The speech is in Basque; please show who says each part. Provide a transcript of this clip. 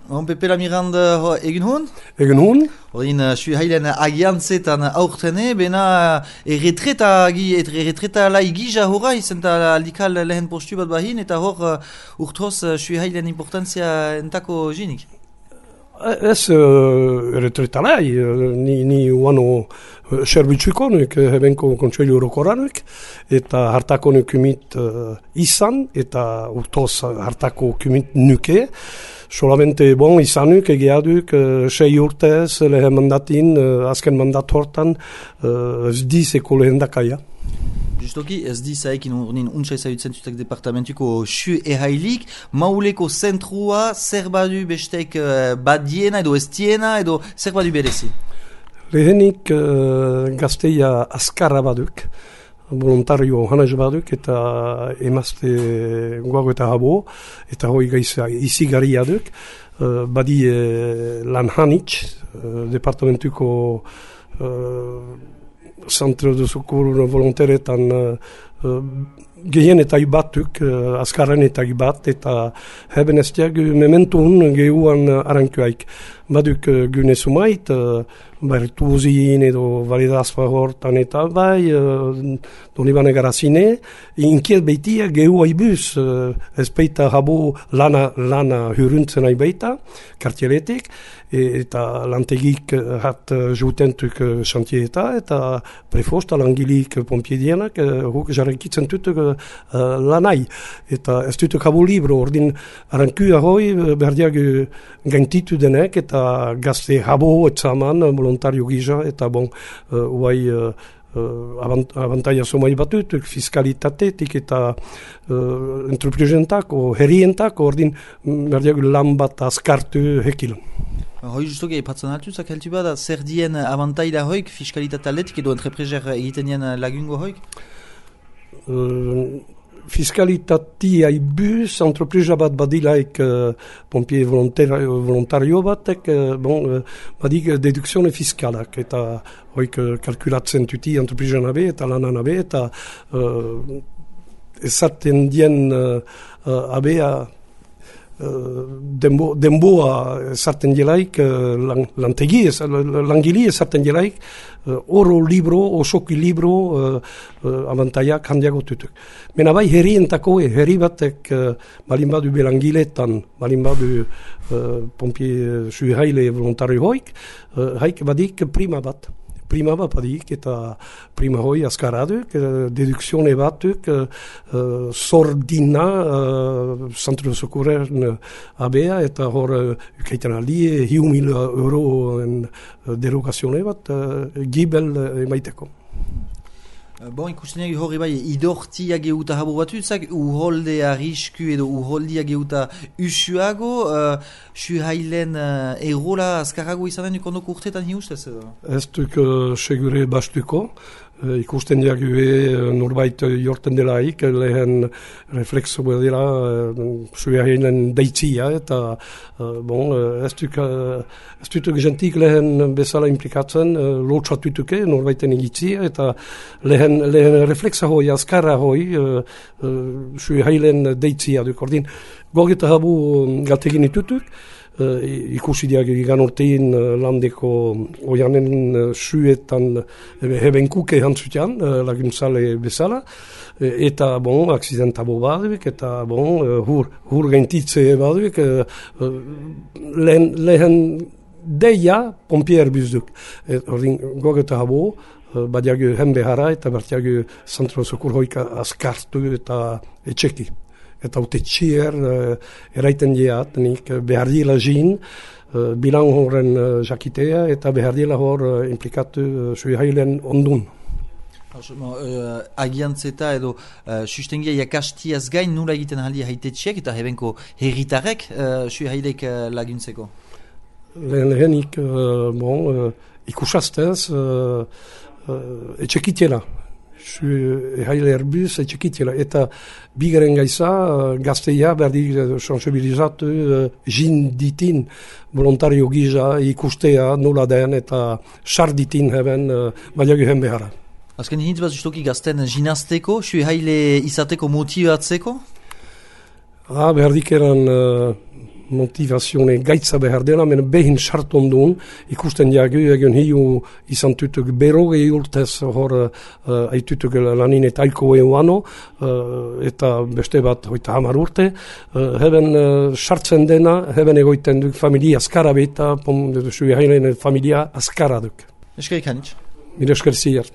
Speaker 1: Pepela Miranda egin hon?
Speaker 2: Egin hon?
Speaker 1: Horin, sui hailen agiantzetan aurtene, bena erretreta lai gija horra, izenta aldikal lehen postu bat bahin, eta hor urtoz sui hailen importantzia entako jinik.
Speaker 2: Ez erretreta lai, ni uano serbitzuikonik, hebenko kontseilu orokoranik, eta hartakonik kumit izan, eta urtoz hartako kumit nuke. Solamente izanuk egeaduk 6 urtez lehen mandatin, azken mandat hortan, ez dizeko lehen dakaia.
Speaker 1: Justoki, ez dizaekin urnin untsa ezagutzen zutek departamentuko su ehailik, mauleko zentrua zer badu bestek badiena edo estiena edo zer badu berezi?
Speaker 2: Lehenik gazteia azkarra baduk, voluntario hanez baduk eta emazte guago eta habo, eta hoi gaiza izigarria duk, badi lan hanitz, departamentuko Centro de Secours volontaretan gehien eta batuk, azkarren eta bat, eta heben estiak mementun gehuan arankuaik. Baduk gune sumait, bertuzin edo validazpa hortan eta bai, donibane garazine, inkiet beitia gehu haibuz, ez peita habo lana huruntzen haibaita, kartieletik, eta lantegik hat jutentuk xantieta, eta prefosta langilik pompiedienak, huk jarrekitzen tutuk lanai, eta ez tutuk habo libro, ordin arankua hoi berdiak gaintitu denek, eta gazte habo etzaman, voluntario gisa, eta uai abantaia somai batutuk, fiskalitatetik eta entreprenentako, herrientako, ordin berdiak lan bat azkartu hekil.
Speaker 1: Hoi justoki epatzen altuzak heltu bada, zer dien abantaila hoik, fiskalitate aldetik edo entreprezer egiten dien lagungo hoik? Fiskalitatea ibuz, entrepresa bat badilaik pompier volontario batek, badik dedukzione fiskalak, eta hoik kalkulatzen tuti entrepresa nabe eta lanan nabe, eta ezaten dien abea denboa esarten jelaik, langili esarten jelaik, oro libro, osoki libro, abantaiak handiago tutuk. Mena bai herrientako, herri batek balin badu belangiletan, balin badu pompier suhaile voluntario hoik, haik badik prima bat. Prima bat badik eta prima hoi azkaraduk, dedukzione batuk, sordina, Centro de Secours abea, eta hor ukaiten aldi, 1.000 euroen derogazione bat, gibel emaiteko. Ikusten egi horri bai, idortia geuta habo batutzak, uholdea risku edo uholdia geuta usuago, suhailen erola azkarrago izanen ikondoko urtetan hiustez edo?
Speaker 2: Ez duk segure bastuko, ikusten diague norbait jorten delaik, lehen reflexo dela suhailen deitzia, eta ez duk gentik lehen bezala implikatzen, lotsatutuke norbaiten egitzia, eta lehen reflexa hoi, azkarra hoi, suhailen deitzia duk. Ordin, gogeta habu galtegin itutuk, ikusi diak egan ortein landeko oianen suetan hebenkuke hantzutian, laguntzale bezala, eta aksidentabo baduk, eta hur gaintitze baduk, lehen deia pompier bizduk. Ordin, gogeta habu, badiak henbehara eta bertiak Centro Secours hoika azkartu eta etxeki. Eta haute txier eraiten diat, nik behar dila jin, bilan horren jakitea, eta behar dila hor implikatu suhailen ondun.
Speaker 1: Agiantzeta edo sustengia jakastiaz gain nula egiten haldi haitetxeak eta hebenko herritarek suhailek laguntzeko?
Speaker 2: Lehenik, ikusastez, etxekitela. Haile erbuz etxekitela, eta bigaren gaiza gazteia berdik sensibilizatu jin ditin voluntario gisa ikustea nola den eta sarditin heben baliagu hen behara.
Speaker 1: Azken hintz bat justoki gazten jinazteko, haile izateko motibatzeko?
Speaker 2: Berdik eran
Speaker 1: motivazione gaitza behar dela, men behin sarton duen, ikusten jagu, egon hiu izan tutuk berogei urtez hor aitutuk lanin eta aiko euano, eta beste bat hoita 10 urte, heben sartzen dena, heben egoiten duk familia askara beta, familia askara duk.
Speaker 3: Eskerik hanitz.
Speaker 1: Mire esker zier.